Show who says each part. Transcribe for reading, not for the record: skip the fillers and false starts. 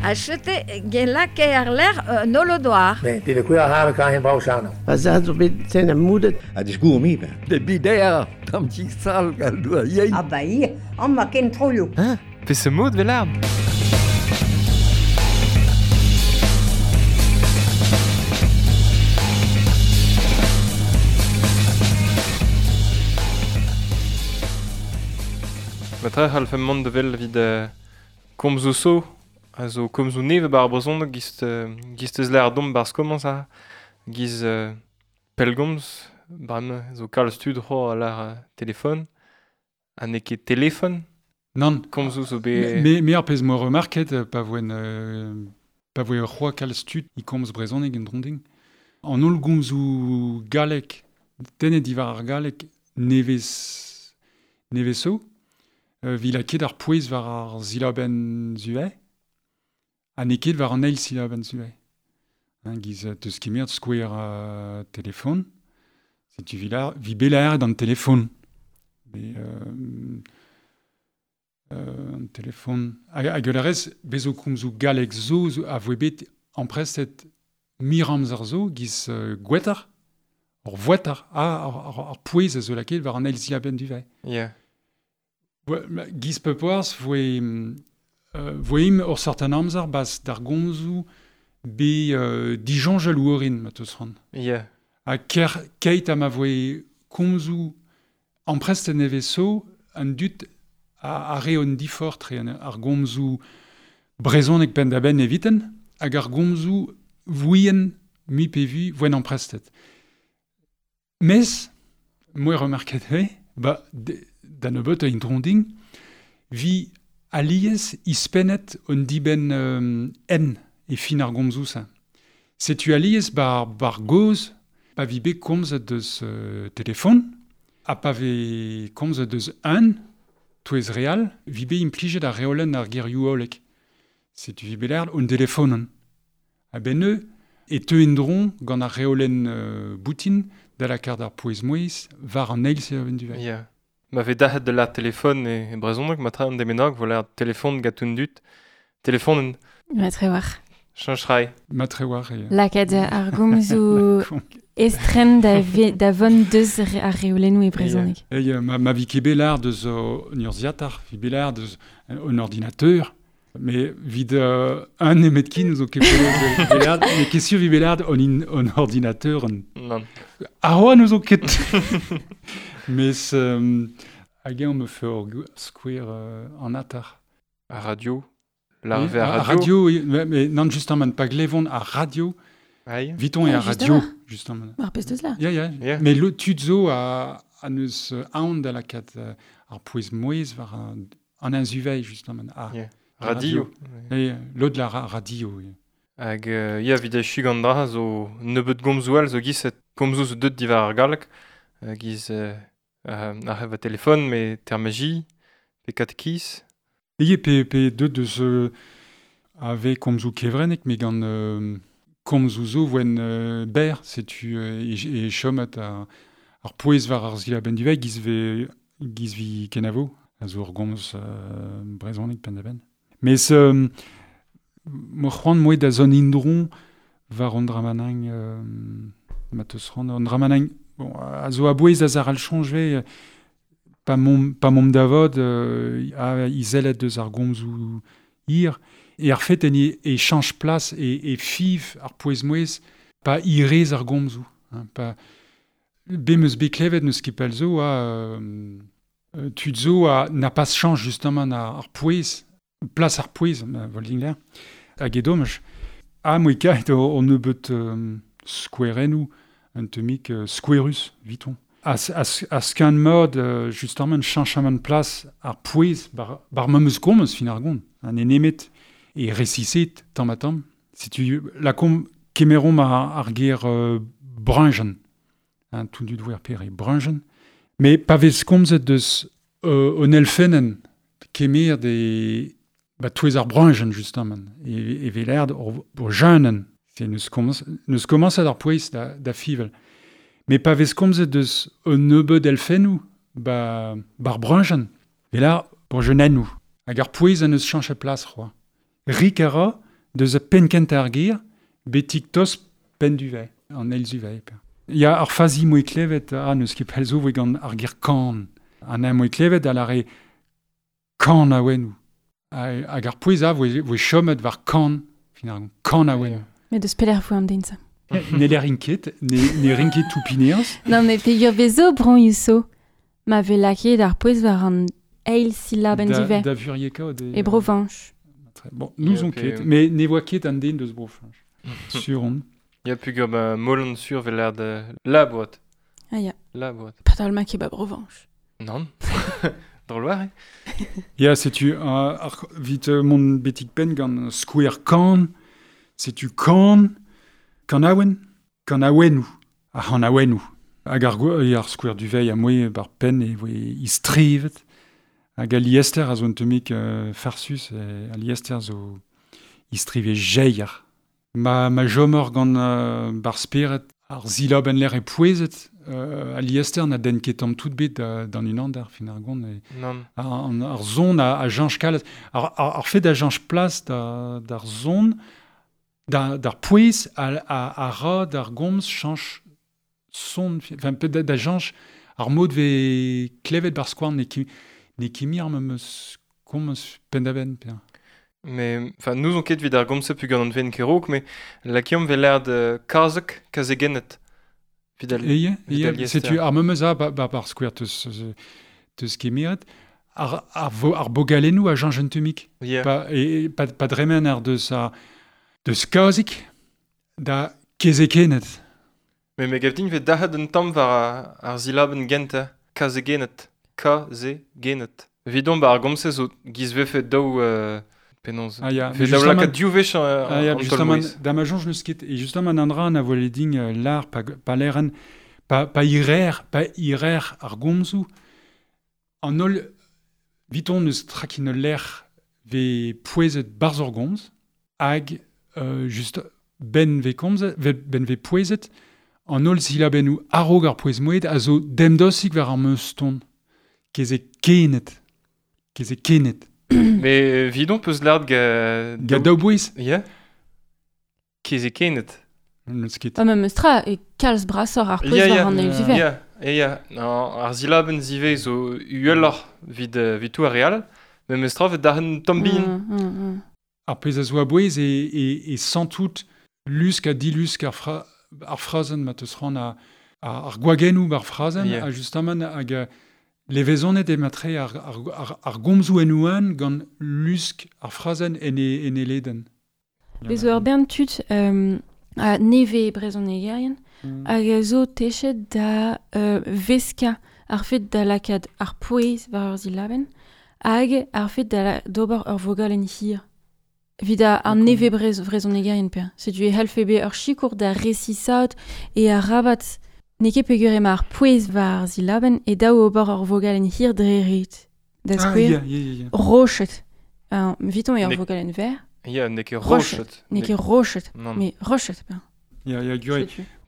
Speaker 1: A chete gen lake ar ler nolodoar.
Speaker 2: Ne, de kuer har kan hen brau chano.
Speaker 3: Pa za zo bet ten a moudet.
Speaker 4: A disgour mi ben.
Speaker 5: De bider, tam ti sal gal doa yein.
Speaker 6: Ah ba ir, an ma ken troio.
Speaker 7: Hein? Pe se mod vel Ma tre c'hall fem mont de vel vid komzo so, a zo komzo neve bar brezhoneg gist, gist eus l'air dom bar skomañs a giz pelgomz, bram zo kalz tud c'ho a l'ar telefon, ha n'eo ket telefon.
Speaker 8: Nan.
Speaker 7: Komzo zo be...
Speaker 8: Me ar pezh mo remarket pa voen pa voe ur c'hoa kalz tud i komz brezhoneg en dronding. An holl gomzoù galleg, tennet diwar ar galleg nevez neveso, vi laket ar pouez war ar silabenn zuhe, ha n'eo ket war an eil silabenn zuhe. Hein, giz teus kemer skouer telefon, setu vi la, vi belaer d'an telefon. Mais, an telefon. Hag ul arez, bezo komzoù galleg zo, zo a voe bet amprestet mir amzer zo, giz gwetar, ur voetar, ar pouez a zo laket war an eil silabenn duve.
Speaker 7: Yeah.
Speaker 8: Giz pepoaz voe voe ur certain amzer bas d'ar gomzoù be dijonjel ouorin ma teus ran.
Speaker 7: Yeah.
Speaker 8: Ha ker keit ha ma voe komzoù amprestet nevez so an dut a re on difor tre ar gomzoù brezhoneg penn da benn eviten hag ar gomzoù vouien mi pe vu voen amprestet. Mes, moi remarket he, ba da nebeut a intronding, vi alies ispennet on diben en e fin ar gomzoù sa. Setu alies bar goz, pa vi bet komzet deus telefon, ha pa ve komzet deus un, touez real, vi bet implijet ar reolenn ar gerioù hollek. Setu vi bet l'air on telefonen. Ha ben eu, e teu endron gant ar reolenn boutin da la kar d'ar pouez mouez war an eil se du
Speaker 7: Yeah. Ma ve dahet de la telefon e brezhoneg, ma tra an demenag, vo la telefon gatun dut. Telefonen.
Speaker 9: Ma tre war.
Speaker 7: Chanch rai.
Speaker 8: Ma tre war. E...
Speaker 9: Lakad ar gomzoù estren da von deus ar reolennoù e brezhoneg.
Speaker 8: Yeah. Ma vi ket bet l'ar deus an urzhiatar, vi bet l'ar deus an ordinateur, mais vid un nemet kin zo ket bet mais ket sur vi bet l'ar an ordinateur.
Speaker 7: Non.
Speaker 8: Ar oa nous zo ket. Mes hag eo me fe ur skouer an atar.
Speaker 7: A radio.
Speaker 8: La oui, a radio. Oui, mais non, justement, pa glevon a radio.
Speaker 7: Aïe.
Speaker 8: Viton e a radio, justement.
Speaker 9: Ar pezh deus la.
Speaker 8: Yeah, yeah. Yeah. Mais le tud zo a neus aon da lakat ar pouez mouez war an anzuvei, justement. A,
Speaker 7: yeah. Radio.
Speaker 8: Yeah. L'autre la radio, oui.
Speaker 7: Hag ya vid echu gant dra zo nebeut gomzoù all zo giz komzoù zo deut diwar ar galleg giz ar heva telefon, me termaji, pe katekiz.
Speaker 8: Eye pe deut deus ave komzoù kevrennek, me gant komzoù zo voen ber, setu e chomet ar pouez war ar silabenn duve, giz vi kenavo, a zo ur gomz brezhoneg penn da benn. Mes mo c'hoant moe da zon indron war an dramanang ma teus c'hoant an dramanang bon, a zo a bouez da zar al chonjve pa mom davod a izelet deus ar gomzoù ir e ar fet en e chanch plas e fiv ar pouez mouez pa irez ar gomzoù hein, pa be meus bet klevet neus ket pell zo a tud zo a na pas chanch justement ar pouez plas ar pouez volding l'air hag e domaj a moe kaet on nebeut skouerennoù un temik skouerus viton a skan mod justement chanchamant plas ar pouez bar memeus komz fin ar gont an enemet e resiset tamm ha tamm setu la kom kemeromp ar ger brunjen hein, tout du douer pere brunjen mais pa vez komzet deus on elfenen kemer de ba touez ar brunjen justement e veler ur jeunen c'est neus commence ar pouez da fivel mais pa vez komzet deus un nebeud elfennoù ba bar brunjen velar pour jeunennoù hag ar pouez a neus chanch plas c'hoa rik a ra Deus a pen kent ar gir, betik tos pen du vei, an eil zu vei. Ya ar fazi moe klevet, a neus ket pell zo voe gant ar gir kan. An a moe klevet a lare kan a wennou. Hag ar pouez a voe chomet war kan, finalement, kan a wennou.
Speaker 9: Met deus pelec'h voe an den sa.
Speaker 8: Ne ler ket, ne rin ket tout pineaz.
Speaker 9: Non, mais pegur vezo bron so. Ma ve lakaet ar pouez war an eil silabenn
Speaker 8: diver. Da vurieka
Speaker 9: E Brovanch.
Speaker 8: Bon, nous on ket, mais ne voa ket an den deus Brovanch. Sur on.
Speaker 7: Ya pugur ba molan sur vel l'air de la boîte.
Speaker 9: Ah ya.
Speaker 7: La boîte.
Speaker 9: Padal ma ket ba Brovanch.
Speaker 7: Non. Drôle eh?
Speaker 8: Ya, setu ar vit mon betik pen gant skouer kan, setu kan, kanaouen, kanaouennou, ar c'hanaouennou. Hag ar, ar skouer du vei a moe bar pen e voe istrivet. Hag a liester a zo un temik farsus, e, a liester zo istrive jeier. Ma jomor gant bar speret ar zilaben l'air e pouezet, a liester na den ket tamm tout bet d'an unan d'ar fin ar gont. E,
Speaker 7: non.
Speaker 8: Ar zon a janch kalet. Ar fet a janch plas d'ar zon, d'ar pouez a ra d'ar gomz chanch son, enfin, peut da janch ar mod ve klevet bar skouarn ne kimi ar meus komz pendaben. Pe.
Speaker 7: Mais, enfin, nous on ket vid ar gomz pu gant an ven kerok, mais lakiom ve l'air de kazek kazegennet.
Speaker 8: Vid al Eye, setu ar meus a bar skouer teus kemiret, ar bogalennou a janch un temik.
Speaker 7: Yeah.
Speaker 8: Pa dremen ar deus a deus kazik da kezekenet.
Speaker 7: Mais me gav din ve dac'hat un tamm war ar zilabenn genta, kazegenet, kazegenet. Vidon ba ar gomz zo giz vefe daou penaos.
Speaker 8: Ah ya,
Speaker 7: Ve daou lakaat div wech
Speaker 8: ah ya, justement, da ma jonj neus ket, et justement an dra na voe din lar pa leren, pa irer ar gomzou, an holl viton neus trakin ler ve pouezet barz ur gomz, hag just ben ve komz, ben ve pouezet, an holl zilabennou a-raok ar pouez moed a zo demdosik war ar meus ton. Keze kenet. Keze kenet.
Speaker 7: Mais vidon peus lard ga...
Speaker 8: Ga daou bouez?
Speaker 7: Ya. Keze kenet.
Speaker 8: N'eus ket.
Speaker 9: Ah, ma meus tra e kalz brasor ar pouez war an eil ziver.
Speaker 7: Ya, ya. Ar zilabenn zive zo uheloc'h vid tout ar real, mais meus tra vet d'ar tamm bihan.
Speaker 8: Ar pezh a zo a bouez e santout lusk ha dilusk ar frazenn ma teus ran ar gwagennoù ar frazenn, a justement hag levezonet e matre ar gomzoù en ouan gant lusk ar frazenn en e leden.
Speaker 9: Bez zo ur bern tud a neve brezonegerien hag a zo techet da veska ar fet da lakaat ar pouez war ur zilabenn hag ar fet da d'ober ur vogalenn hir. Vid ar neve brezonegerien per. Setu e c'hellfe bet ur sikour da resisaat e ar rabat n'eo ket peogwir ema ar pouez war ar zilabenn e daou ober ur vogalenn hir dre ret. Da skouer, rochet. Viton eo ur vogalenn ver.
Speaker 7: Ya, n'eo ket rochet.
Speaker 9: N'eo ket rochet, mais rochet.
Speaker 8: Ya, ya, gure.